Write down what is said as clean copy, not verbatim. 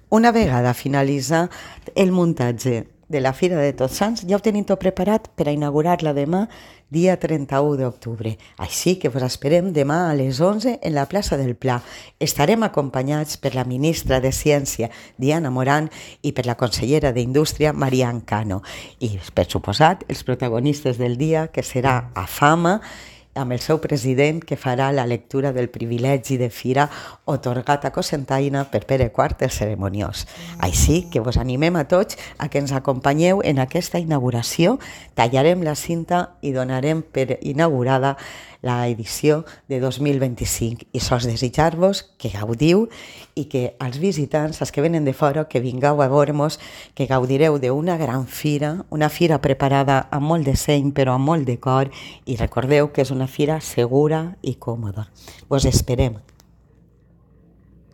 Una vegada finalitzat el muntatge de la Fira de Tots Sants, ja ho tenim tot preparat per a inaugurar-la demà, dia 31 d'octubre. Així que vos esperem demà a les 11 en la plaça del Pla. Estarem acompanyats per la ministra de Ciència, Diana Morant, i per la consellera d'Indústria, Marian Cano. I, per suposat, els protagonistes del dia, que serà AFAMA, amb el seu president, que farà la lectura del privilegi de fira otorgat a Cocentaina per Pere IV el Cerimoniós. Així que vos animem a tots a que ens acompanyeu en aquesta inauguració. Tallarem la cinta i donarem per inaugurada la edició de 2025. I sols desitjar-vos que gaudiu i que als visitants, als que venen de fora, que vingueu a veure-nos, que gaudireu d'una gran fira, una fira preparada amb molt de seny però amb molt de cor, i recordeu que és una fira segura i còmoda. Vos esperem.